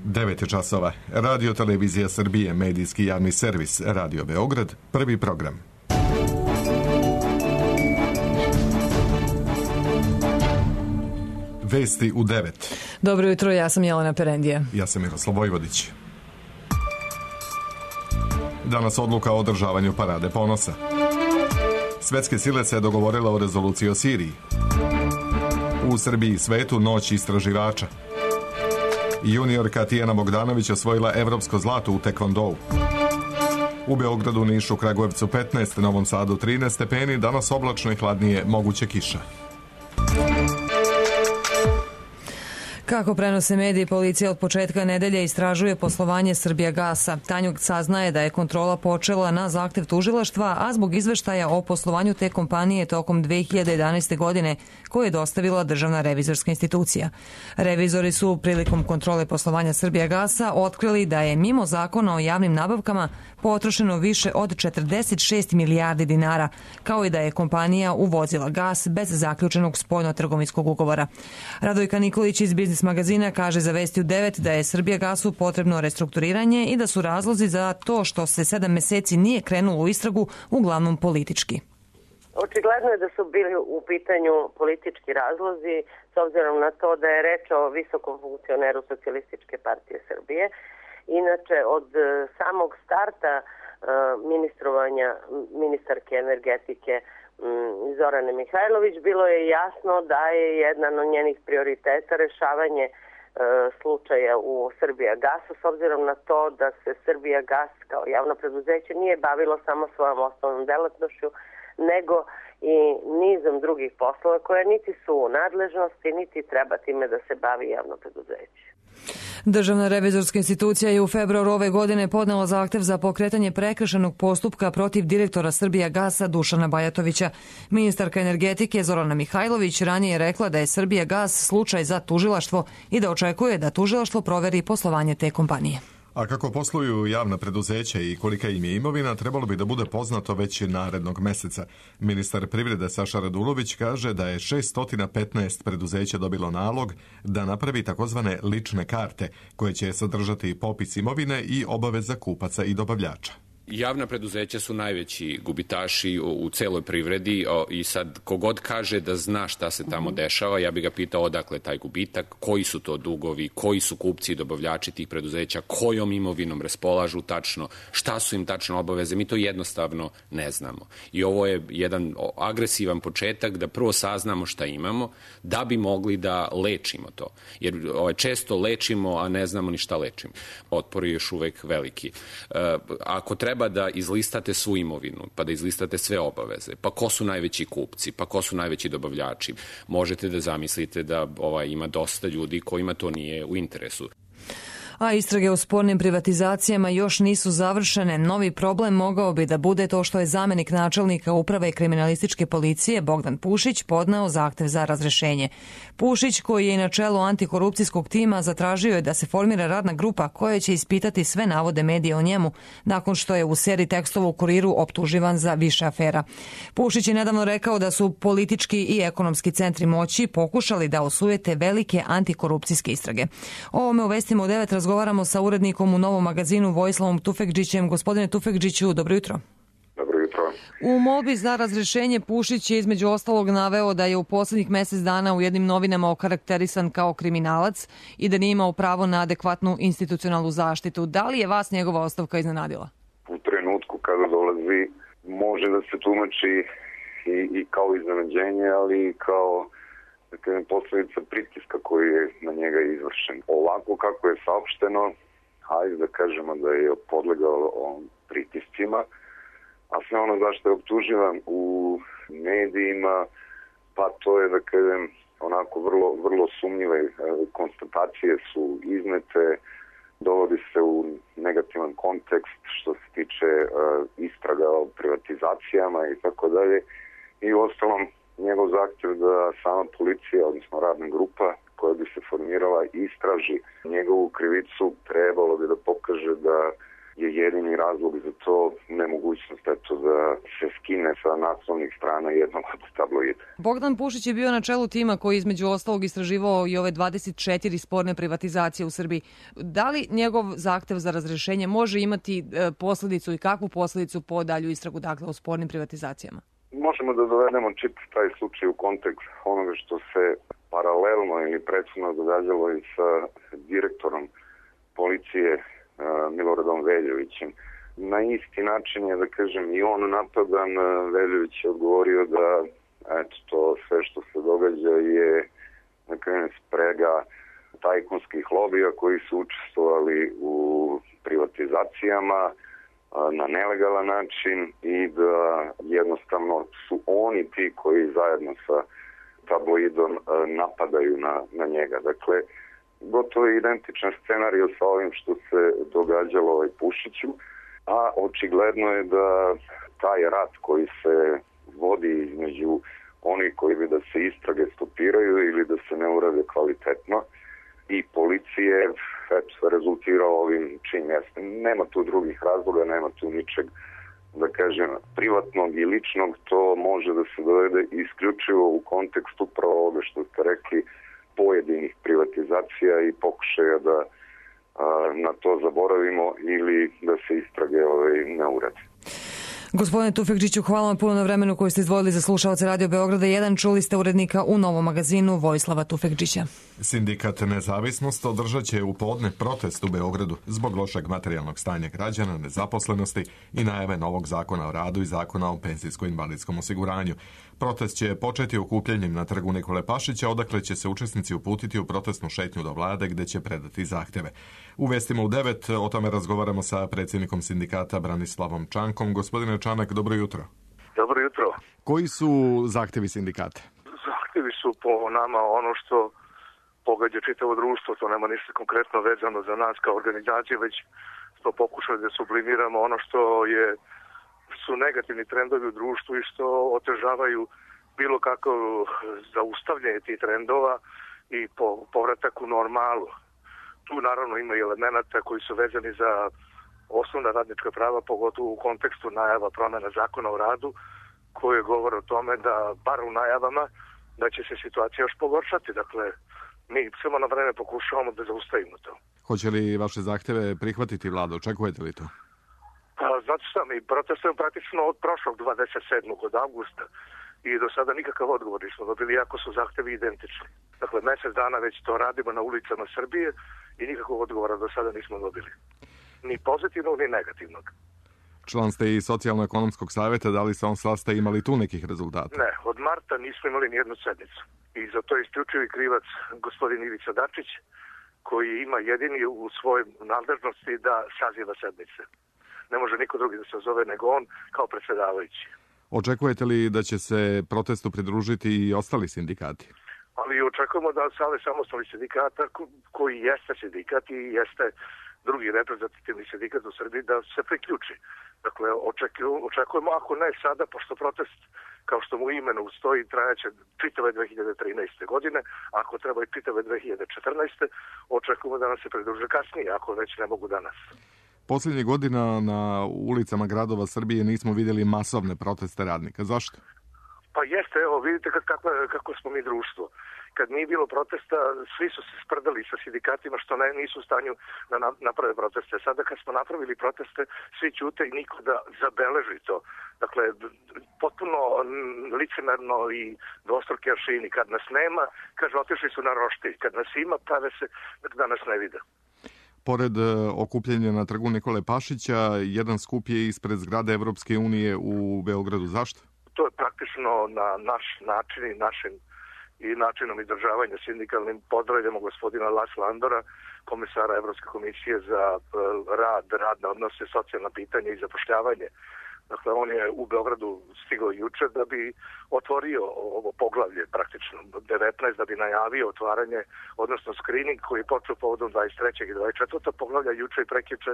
9 je časova. Radio Televizija Srbije, medijski javni servis, Radio Beograd, prvi program. Vesti u 9. Dobro jutro, ja sam Jelena Perendija. Ja sam Miroslav Vojvodić. Danas odluka o održavanju Parade ponosa. Svetske sile se dogovorile o rezoluciji o Siriji. U Srbiji i svetu noć istraživača. Juniorka Tijana Bogdanović osvojila evropsko zlato u tekvondou. U Beogradu, Nišu, Kragujevcu 15, Novom Sadu 13 stepeni, danas oblačno i hladnije, moguće kiša. Kako prenose mediji, policija od početka nedelje istražuje poslovanje Srbijagasa. Tanjug saznaje da je kontrola počela na zahtev tužilaštva, a zbog izveštaja o poslovanju te kompanije tokom 2011. godine koje je dostavila Državna revizorska institucija. Revizori su prilikom kontrole poslovanja Srbijagasa otkrili da je mimo zakona o javnim nabavkama potrošeno više od 46 milijardi dinara, kao i da je kompanija uvozila gas bez zaključenog spoljno-trgovinskog ugovora. Radojka Nikolić iz Biznis magazina kaže za Vesti u 9 da je Srbijagasu potrebno restrukturiranje i da su razlozi za to što se 7 meseci nije krenulo u istragu uglavnom politički. Očigledno je da su bili u pitanju politički razlozi s obzirom na to da je reč o visokom funkcioneru Socijalističke partije Srbije. Inače, od samog starta ministrovanja ministarke energetike Zorane Mihajlović bilo je jasno da je jedan od njenih prioriteta rešavanje slučaja u Srbijagasu, s obzirom na to da se Srbijagas kao javno preduzeće nije bavilo samo svojom osnovnom delatnošću, nego i nizom drugih poslova koje niti su u nadležnosti, niti treba time da se bavi javno preduzeće. Državna revizorska institucija je u februaru ove godine podnela zahtev za pokretanje prekršajnog postupka protiv direktora Srbijagasa Dušana Bajatovića. Ministarka energetike Zorana Mihajlović ranije je rekla da je Srbijagas slučaj za tužilaštvo i da očekuje da tužilaštvo proveri poslovanje te kompanije. A kako posluju javna preduzeća i kolika im je imovina, trebalo bi da bude poznato već narednog meseca. Ministar privrede Saša Radulović kaže da je 615 preduzeća dobilo nalog da napravi takozvane lične karte, koje će sadržati popis imovine i obaveza kupaca i dobavljača. Javna preduzeća su najveći gubitaši u celoj privredi i sad kogod kaže da zna šta se tamo dešava, ja bih ga pitao odakle taj gubitak, koji su to dugovi, koji su kupci i dobavljači tih preduzeća, kojom imovinom raspolažu tačno, šta su im tačno obaveze, mi to jednostavno ne znamo. I ovo je jedan agresivan početak da prvo saznamo šta imamo, da bi mogli da lečimo to. Jer često lečimo, a ne znamo ni šta lečimo. Otpor je još uvek veliki. Ako treba da izlistate svu imovinu, pa da izlistate sve obaveze, pa ko su najveći kupci, pa ko su najveći dobavljači, možete da zamislite da ima dosta ljudi kojima to nije u interesu. A istrage o spornim privatizacijama još nisu završene. Novi problem mogao bi da bude to što je zamenik načelnika uprave kriminalističke policije Bogdan Pušić podneo zahtev za razrešenje. Pušić, koji je na čelu antikorupcijskog tima, zatražio je da se formira radna grupa koja će ispitati sve navode medija o njemu, nakon što je u seriji tekstova u Kuriru optuživan za više afera. Pušić je nedavno rekao da su politički i ekonomski centri moći pokušali da osujete velike antikorupcijske istrage. O ovome u Vestima u 9 razgovaramo sa urednikom u Novom magazinu Vojislavom Tufekdžićem. Gospodine Tufekdžiću, dobro jutro. Dobro jutro. U molbi za razrešenje Pušić je između ostalog naveo da je u poslednjih mesec dana u jednim novinama okarakterisan kao kriminalac i da nije imao pravo na adekvatnu institucionalnu zaštitu. Da li je vas njegova ostavka iznenadila? U trenutku kada dolazi može da se tumači i kao iznenađenje, ali i kao posledica pritiska koji je na njega izvršen. Ovako kako je saopšteno, hajde da kažemo da je podlegao pritiscima, a sve ono zašto je optuživan u medijima, pa to je da kažem onako vrlo sumnjive konstatacije su iznete, dovodi se u negativan kontekst što se tiče istraga o privatizacijama i tako dalje. I uostalom njegov zahtjev da sama policija, odnosno radna grupa koja bi se formirala, istraži njegovu krivicu, trebalo bi da pokaže da je jedini razlog za to nemogućnost da se skine sa naslovnih strana jednog od tabloida. Bogdan Pušić je bio na čelu tima koji između ostalog istraživao i ove 24 sporne privatizacije u Srbiji. Da li njegov zahtev za razrešenje može imati posledicu i kakvu posledicu po dalju istragu o spornim privatizacijama? Možemo da dovedemo čitav taj slučaj u kontekst onoga što se paralelno ili prethodno događalo i sa direktorom policije Miloradom Veljovićem. Na isti način je, da kažem, i on napadan. Veljović je odgovorio da to sve što se događa je, da kažem, sprega tajkunskih lobija koji su učestvovali u privatizacijama na nelegalan način i da jednostavno su oni ti koji zajedno sa tabloidom napadaju na njega. Dakle, gotovo je identičan scenarij sa ovim što se događalo Pušiću, a očigledno je da taj rat koji se vodi između onih koji bi da se istrage stopiraju ili da se ne urade kvalitetno i policije rezultirao ovim čim jeste. Nema tu drugih razloga, nema tu ničeg, da kažem, privatnog i ličnog, to može da se dovede isključivo u kontekstu upravo ovoga što ste rekli, pojedinih privatizacija i pokušaja da na to zaboravimo ili da se istrage ne urade. Gospodine Tufekčiću, hvala vam puno na vremenu koji ste izdvojili za slušaoce Radio Beograda 1. Čuli ste urednika u Novom magazinu Vojislava Tufekčića. Sindikat Nezavisnost održat će u podne protest u Beogradu zbog lošeg materijalnog stanja građana, nezaposlenosti i najave novog zakona o radu i zakona o penzijsko-invalidskom osiguranju. Protest će početi okupljanjem na trgu Nikole Pašića, odakle će se učesnici uputiti u protestnu šetnju do vlade gde će predati zahteve. U vestima u 9 o tome razgovaramo sa predsjednikom sindikata Branislavom Čankom. Gospodine Čanak, dobro jutro. Dobro jutro. Koji su zahtevi sindikata? Zahtevi su po nama ono što pogađa čitavo društvo, to nema ništa konkretno vezano za nas kao organizaciju, već smo pokušali da sublimiramo ono što su negativni trendovi u društvu i što otežavaju bilo kako zaustavljanje tih trendova i povratak u normalu. Tu naravno ima i elemenata koji su vezani za osnovna radnička prava, pogotovo u kontekstu najava promjena zakona o radu, koje govore o tome da, bar u najavama, da će se situacija još pogoršati. Dakle, mi samo na vreme pokušavamo da zaustavimo to. Hoće li vaše zahteve prihvatiti vlada? Očekujete li to? Pa, znate šta, mi protestujemo praktično od prošlog 27. od avgusta i do sada nikakav odgovor nismo dobili, iako su zahtevi identični. Dakle, mjesec dana već to radimo na ulicama Srbije i nikakvog odgovora do sada nismo dobili. Ni pozitivnog, ni negativnog. Član ste i Socijalno-ekonomskog savjeta, da li se on sastaje, imali tu nekih rezultata? Ne, od marta nismo imali nijednu sednicu. I za to je isključivi krivac gospodin Ivica Dačić, koji ima jedini u svojoj nadležnosti da saziva sednice. Ne može niko drugi da se zove nego on kao predsjedavajući. Očekujete li da će se protestu pridružiti i ostali sindikati? Ali očekujemo da Savez samostalnih sindikata, koji jeste sindikat i jeste drugi reprezentativni sindikat u Srbiji, da se priključi. Dakle, očekujemo, ako ne sada, pošto protest, kao što mu imenu stoji, trajaće čitave 2013. godine, ako treba i čitave 2014. očekujemo da nam se pridruže kasnije, ako već ne mogu danas. Posljednjih godina na ulicama gradova Srbije nismo vidjeli masovne proteste radnika. Zašto? Pa jeste, evo, vidite kako smo mi društvo. Kad nije bilo protesta, svi su se sprdali sa sindikatima što nisu u stanju da naprave proteste. Sada kad smo napravili proteste, svi ćute i niko da zabeleži to. Dakle, potpuno licemerno i dvostruki aršini. Kad nas nema, kaže, otišli su na roštilj. Kad nas ima, prave se da nas ne vide. Pored okupljenja na trgu Nikole Pašića, jedan skup je ispred zgrade Evropske unije u Beogradu. Zašto? To je praktično na naš način i načinom izdržavanja sindikalnim. Pozdravljamo gospodina Lasla Andora, komisara Evropske komisije za radne odnose, socijalna pitanja i zapošljavanje. Dakle, on je u Beogradu stigao juče da bi otvorio ovo poglavlje, praktično 19, da bi najavio otvaranje, odnosno screening koji je počeo povodom 23. i 24. poglavlja juče i prekjuče,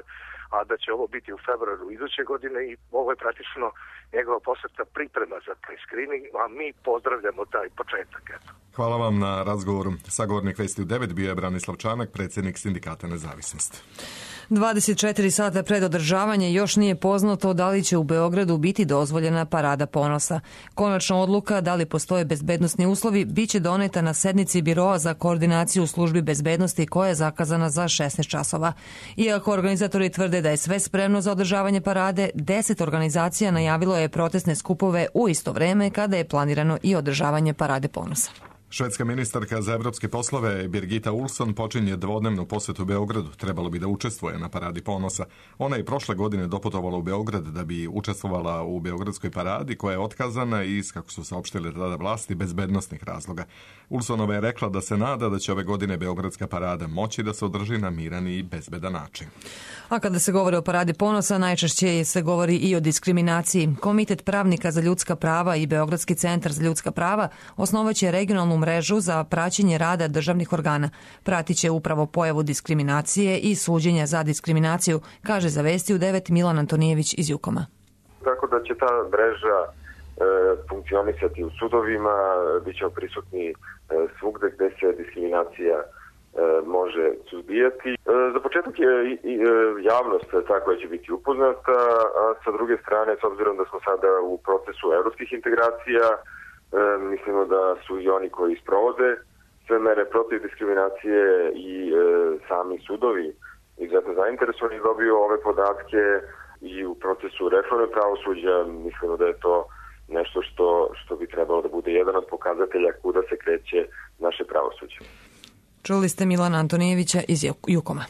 a da će ovo biti u februaru iduće godine i ovo je praktično njegova poseta priprema za taj screening, a mi pozdravljamo taj početak. Eto. Hvala vam na razgovoru. Sagovornik Vesti u 9 bio je Branislav Čanak, predsjednik Sindikata Nezavisnost. 24 sata pred održavanje još nije poznato da li će u Beogradu biti dozvoljena Parada ponosa. Konačna odluka da li postoje bezbednosni uslovi biće doneta na sednici Biroa za koordinaciju u službi bezbednosti koja je zakazana za 16 časova. Iako organizatori tvrde da je sve spremno za održavanje parade, 10 organizacija najavilo je protestne skupove u isto vreme kada je planirano i održavanje Parade ponosa. Švedska ministarka za evropske poslove Birgitta Olsson počinje dvodnevnu posetu Beogradu. Trebalo bi da učestvuje na Paradi ponosa. Ona je prošle godine doputovala u Beograd da bi učestvovala u Beogradskoj paradi koja je otkazana iz, kako su saopštile tada vlasti, bezbednosnih razloga. Olssonova je rekla da se nada da će ove godine Beogradska parada moći da se održi na miran i bezbedan način. A kada se govori o Paradi ponosa, najčešće se govori i o diskriminaciji. Komitet pravnika za ljudska prava i Beogradski centar za ljudska prava osnovaće regionalnu mrežu za praćenje rada državnih organa. Pratiće upravo pojavu diskriminacije i suđenja za diskriminaciju, kaže za Vesti u 9 Milan Antonijević iz Jukoma. Tako da će ta mreža funkcionisati u sudovima, bit će prisutni svugde gde se diskriminacija može suzbijati. Za početak je javnost ta koja će biti upoznata, a sa druge strane, s obzirom da smo sada u procesu evropskih integracija, mislimo da su i oni koji sprovode sve mere protiv diskriminacije i sami sudovi izuzetno zainteresovani dobiju ove podatke i u procesu reforme pravosuđa mislimo da je to nešto što bi trebalo da bude jedan od pokazatelja kuda se kreće naše pravosuđe. Čuli ste Milana Antonijevića iz Jukoma.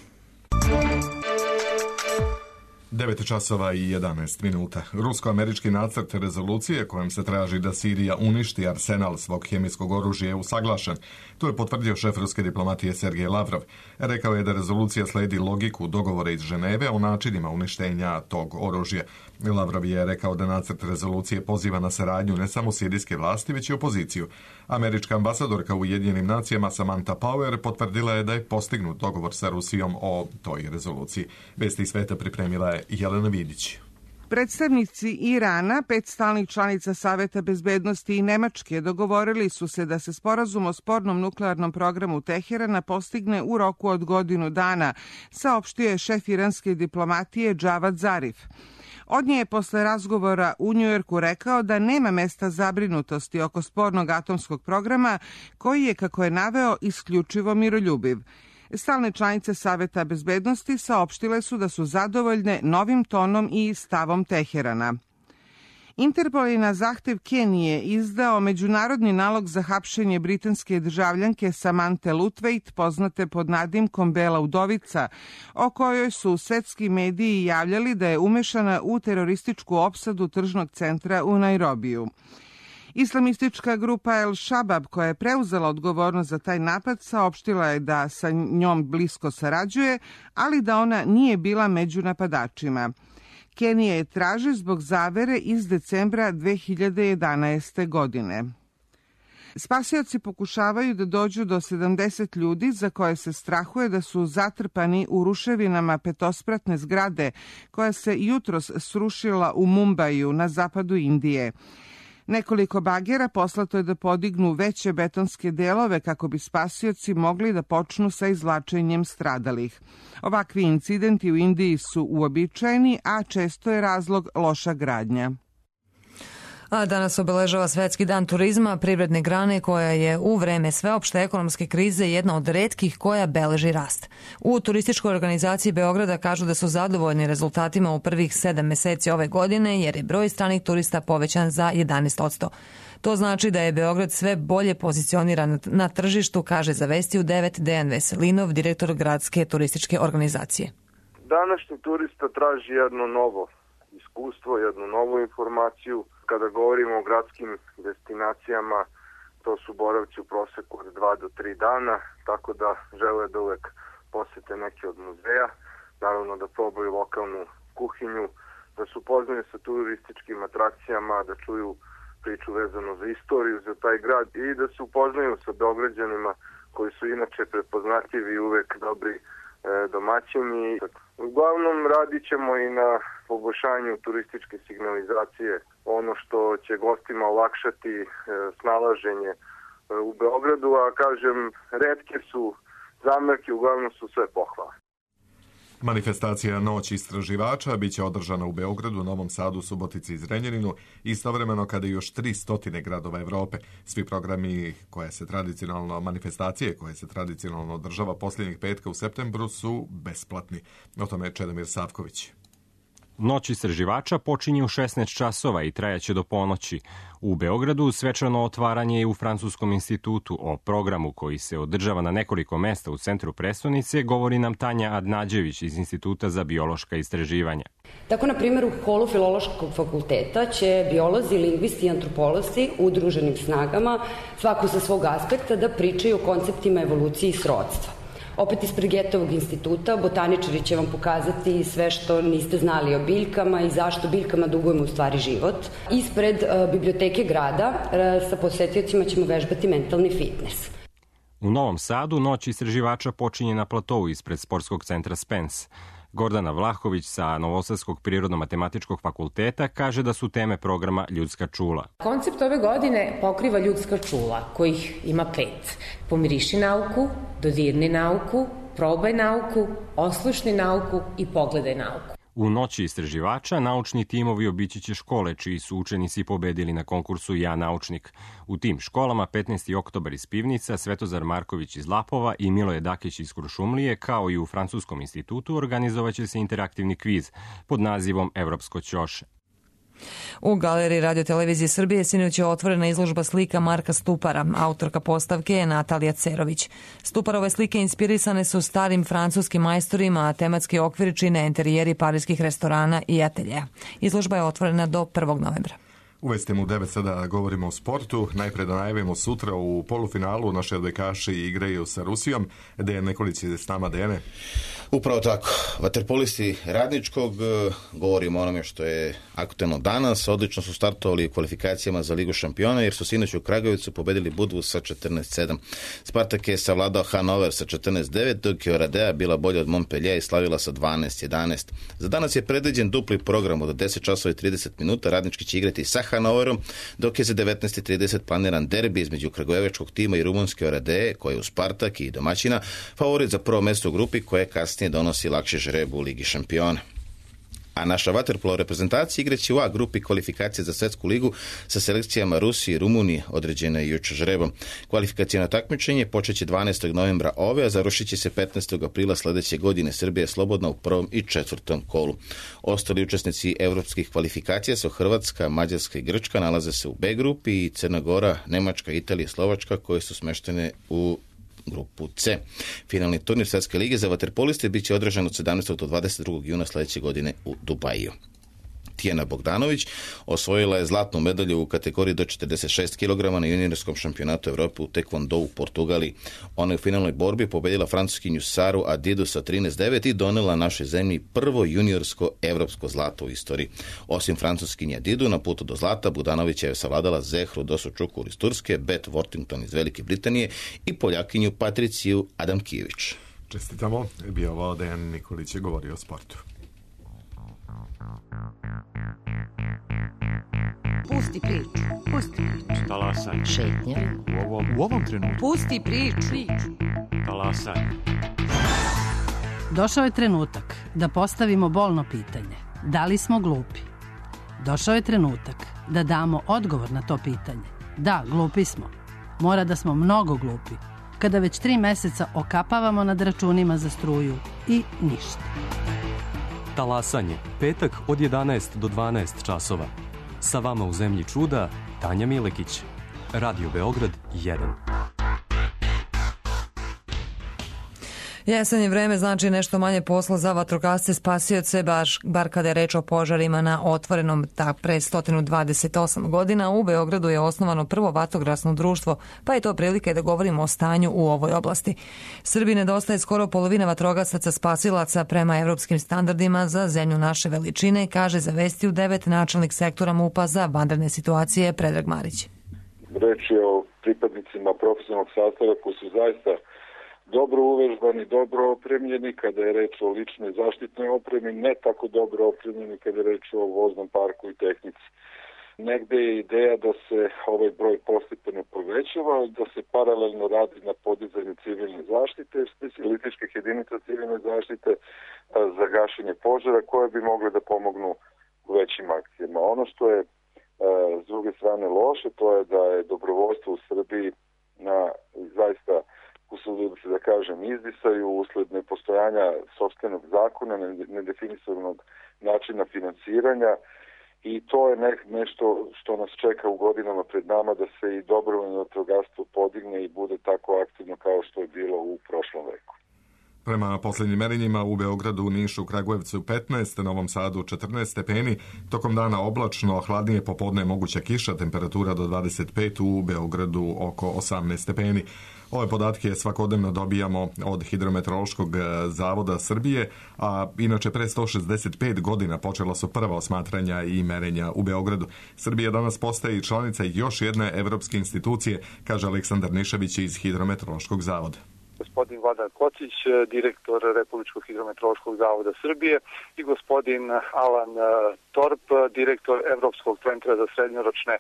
9 časova i 11 minuta. Rusko-američki nacrt rezolucije kojom se traži da Sirija uništi arsenal svog hemijskog oružja je usaglašen. To je potvrdio šef ruske diplomatije Sergej Lavrov. Rekao je da rezolucija sledi logiku dogovora iz Ženeve o načinima uništenja tog oružja. Lavrov je rekao da nacrt rezolucije poziva na saradnju ne samo sirijske vlasti, već i opoziciju. Američka ambasadorka u Ujedinjenim nacijama Samantha Power potvrdila je da je postignut dogovor sa Rusijom o toj rezoluciji. Vesti sveta pripremila je Jelena Vidić. Predstavnici Irana, 5 stalnih članica Saveta bezbednosti i Nemačke dogovorili su se da se sporazum o spornom nuklearnom programu Teherana postigne u roku od godinu dana, saopštio je šef iranske diplomatije Džavad Zarif. Od nje je posle razgovora u Njujorku rekao da nema mesta zabrinutosti oko spornog atomskog programa koji je, kako je naveo, isključivo miroljubiv. Stalne članice Saveta bezbednosti saopštile su da su zadovoljne novim tonom i stavom Teherana. Interpol je na zahtev Kenije izdao međunarodni nalog za hapšenje britanske državljanke Samanthe Lutveit, poznate pod nadimkom Bela udovica, o kojoj su svetski mediji javljali da je umešana u terorističku opsadu tržnog centra u Nairobiju. Islamistička grupa El Shabab, koja je preuzela odgovornost za taj napad, saopštila je da sa njom blisko sarađuje, ali da ona nije bila među napadačima. Kenija je traži zbog zavere iz decembra 2011. godine. Spasioci pokušavaju da dođu do 70 ljudi za koje se strahuje da su zatrpani u ruševinama petospratne zgrade koja se jutros srušila u Mumbaju na zapadu Indije. Nekoliko bagera poslato je da podignu veće betonske delove kako bi spasioci mogli da počnu sa izvlačenjem stradalih. Ovakvi incidenti u Indiji su uobičajeni, a često je razlog loša gradnja. A danas obeležava Svetski dan turizma, privredne grane koja je u vreme sveopšte ekonomske krize jedna od retkih koja beleži rast. U turističkoj organizaciji Beograda kažu da su zadovoljni rezultatima u prvih 7 meseci ove godine jer je broj stranih turista povećan za 11%. To znači da je Beograd sve bolje pozicioniran na tržištu, kaže za Vesti u 9 Dejan Veselinov, direktor gradske turističke organizacije. Današnji turista traži jedno novo iskustvo, jednu novu informaciju. Kada govorimo o gradskim destinacijama, to su boravci u proseku od 2 do 3 dana, tako da žele da uvek posete neke od muzeja, naravno da probaju lokalnu kuhinju, da se upoznaju sa turističkim atrakcijama, da čuju priču vezano za istoriju, za taj grad i da se upoznaju sa Beograđanima koji su inače prepoznatljivi i uvek dobri domaćini. Uglavnom radit ćemo i na poboljšanju turističke signalizacije, ono što će gostima olakšati snalaženje u Beogradu, a kažem, retke su zamerke, uglavnom su sve pohvale. Manifestacija Noć istraživača biće održana u Beogradu, Novom Sadu, Subotici i Zrenjaninu, istovremeno kada još 300 gradova Evrope. Svi programi manifestacije koje se tradicionalno održava posljednjeg petka u septembru su besplatni. O tome je Čedomir Savković. Noć istraživača počinje u 16 časova i trajaće do ponoći. U Beogradu svečano otvaranje je u Francuskom institutu. O programu koji se održava na nekoliko mesta u centru prestonice govori nam Tanja Adnađević iz Instituta za biološka istraživanja. Tako, na primjer, u holu Filološkog fakulteta će biolozi, lingvisti i antropolozi udruženim snagama, svako sa svog aspekta, da pričaju o konceptima evolucije i srodstva. Opet ispred Getovog instituta botaničari će vam pokazati sve što niste znali o biljkama i zašto biljkama dugujemo u stvari život. Ispred biblioteke grada sa posetiocima ćemo vežbati mentalni fitness. U Novom Sadu Noć istraživača počinje na platovu ispred sportskog centra Spence. Gordana Vlahović sa Novosadskog prirodno-matematičkog fakulteta kaže da su teme programa ljudska čula. Koncept ove godine pokriva ljudska čula, kojih ima 5. Pomiriši nauku, dodirni nauku, probaj nauku, oslušni nauku i pogledaj nauku. U Noći istraživača naučni timovi obići će škole čiji su učenici pobedili na konkursu Ja naučnik. U tim školama 15. oktobar iz Pivnica, Svetozar Marković iz Lapova i Miloje Dakić iz Kuršumlije, kao i u Francuskom institutu, organizovaće se interaktivni kviz pod nazivom Evropsko ćoše. U Galeriji Radio-televizije Srbije sinoć je otvorena izložba slika Marka Stupara. Autorka postavke je Natalija Cerović. Stuparove slike inspirisane su starim francuskim majstorima, a tematski okvir čine interijeri parijskih restorana i ateljeja. Izložba je otvorena do 1. novembra. Uvestim u 9 sada govorimo o sportu. Najpre da najavimo sutra u polufinalu naše odbojkaši igraju sa Rusijom. Dejan Nikolić je s nama. Dejane. Upravo tako. Vaterpolisti Radničkog, govorimo o onome što je aktuelno danas. Odlično su startovali u kvalifikacijama za Ligu šampiona jer su sinoć u Kragujevcu pobedili Budvu sa 14-7. Spartak je savladao Hanover sa 14-9, dok je Oradea bila bolja od Montpellier i slavila sa 12-11. Za danas je predviđen dupli program od 10 časova i 30 minuta. Radnički će igrati sa Hanoverom, dok je za 19:30 planiran derbi između kragujevačkog tima i rumunske Oradeje, koje je u Spartak i domaćina favorit za prvo mesto u grupi koje kasnije donosi lakše žrebu u Ligi šampiona. A naša vaterpolo reprezentacija igraće u A grupi kvalifikacije za svetsku ligu sa selekcijama Rusije i Rumunije, određena je jučer žrebom. Kvalifikacijno takmičenje počeće 12. novembra ove, a završit će se 15. aprila sledeće godine. Srbija je slobodna u prvom i četvrtom kolu. Ostali učesnici evropskih kvalifikacija su Hrvatska, Mađarska i Grčka, nalaze se u B grupi, i Crna Gora, Nemačka, Italija i Slovačka koje su smeštene u grupu C. Finalni turnir Svetske lige za vaterpoliste biće održan od 17. do 22. juna sledeće godine u Dubaju. Tijana Bogdanović osvojila je zlatnu medalju u kategoriji do 46 kg na juniorskom šampionatu Evrope u Taekwondo u Portugaliji. Ona je u finalnoj borbi pobedila francuskinju Saru Adidu sa 13-9 i donela našoj zemlji prvo juniorsko evropsko zlato u istoriji. Osim francuskinje Adidu, na putu do zlata Bogdanović je savladala Zehru Dosučukur iz Turske, Beth Worthington iz Velike Britanije i Poljakinju Patriciju Adamkijević. Čestitamo. Bio ovo Dejan Nikolić je govorio o sportu. Pusti priču. Pusti priču. Talasaj. Šetnja. U ovom trenutku. Pusti priču. Talasaj. Došao je trenutak da postavimo bolno pitanje. Da li smo glupi? Došao je trenutak da damo odgovor na to pitanje. Da, glupi smo. Mora da smo mnogo glupi. Kada već 3 meseca okapavamo nad računima za struju i ništa. Talasanje. Petak od 11 do 12 časova. Sa vama u zemlji čuda, Tanja Milekić. Radio Beograd 1. Jesen je vreme, znači nešto manje posla za vatrogasce spasioce, bar kada je reč o požarima na otvorenom. Pre 128 godina u Beogradu je osnovano prvo vatrogasno društvo, pa je to prilike da govorimo o stanju u ovoj oblasti. Srbiji nedostaje skoro polovina vatrogasaca spasilaca prema evropskim standardima za zemlju naše veličine, kaže za Vesti u 9 načelnik sektora MUP-a za vanredne situacije Predrag Marić. Reč je o pripadnicima profesionalnog sastava koji su zaista dobro uvežbani, dobro opremljeni kada je reč o ličnoj zaštitnoj opremi, ne tako dobro opremljeni kada je reč o voznom parku i tehnici. Negde je ideja da se ovaj broj postepeno povećava, da se paralelno radi na podizanju civilne zaštite, specijalističkih jedinica civilne zaštite za gašenje požara koje bi mogle da pomognu u većim akcijama. Ono što je s druge strane loše, to je da je dobrovoljstvo u Srbiji na zaista, usudio se da kažem, izdisaju usled nepostojanja sopstvenog zakona, nedefinisanog načina finansiranja, i to je nešto što nas čeka u godinama pred nama, da se i dobrovoljno vatrogastvo podigne i bude tako aktivno kao što je bilo u prošlom veku. Prema posljednjim merenjima u Beogradu, Nišu, Kragujevcu 15, Novom Sadu 14 stepeni, tokom dana oblačno, hladnije popodne moguća kiša, temperatura do 25, u Beogradu oko 18 stepeni. Ove podatke svakodnevno dobijamo od Hidrometeorološkog zavoda Srbije, a inače pre 165 godina počela su prva osmatranja i merenja u Beogradu. Srbija danas postaje i članica još jedne evropske institucije, kaže Aleksandar Nišević iz Hidrometeorološkog zavoda. Gospodin Vladan Kocić, direktor Republičkog hidrometeorološkog zavoda Srbije, i gospodin Alan Torp, direktor Evropskog centra za srednjoročne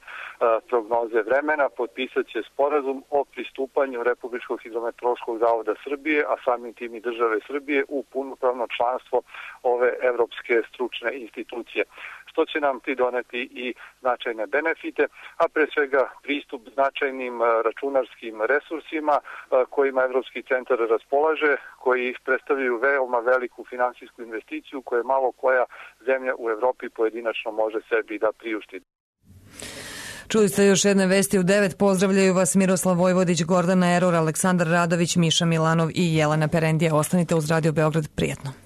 prognoze vremena, potpisat će sporazum o pristupanju Republičkog hidrometeorološkog zavoda Srbije, a samim tim i države Srbije, u punopravno članstvo ove evropske stručne institucije, što će nam ti doneti i značajne benefite, a pre svega pristup značajnim računarskim resursima kojima Evropski centar raspolaže, koji predstavljaju veoma veliku finansijsku investiciju koju malo koja zemlja u Evropi pojedinačno može sebi da priušti. Čuli ste još jedne vesti u 9. Pozdravljaju vas Miroslav Vojvodić, Gordana Eror, Aleksandar Radović, Miša Milanov i Jelena Perendija. Ostanite uz Radio Beograd. Prijetno.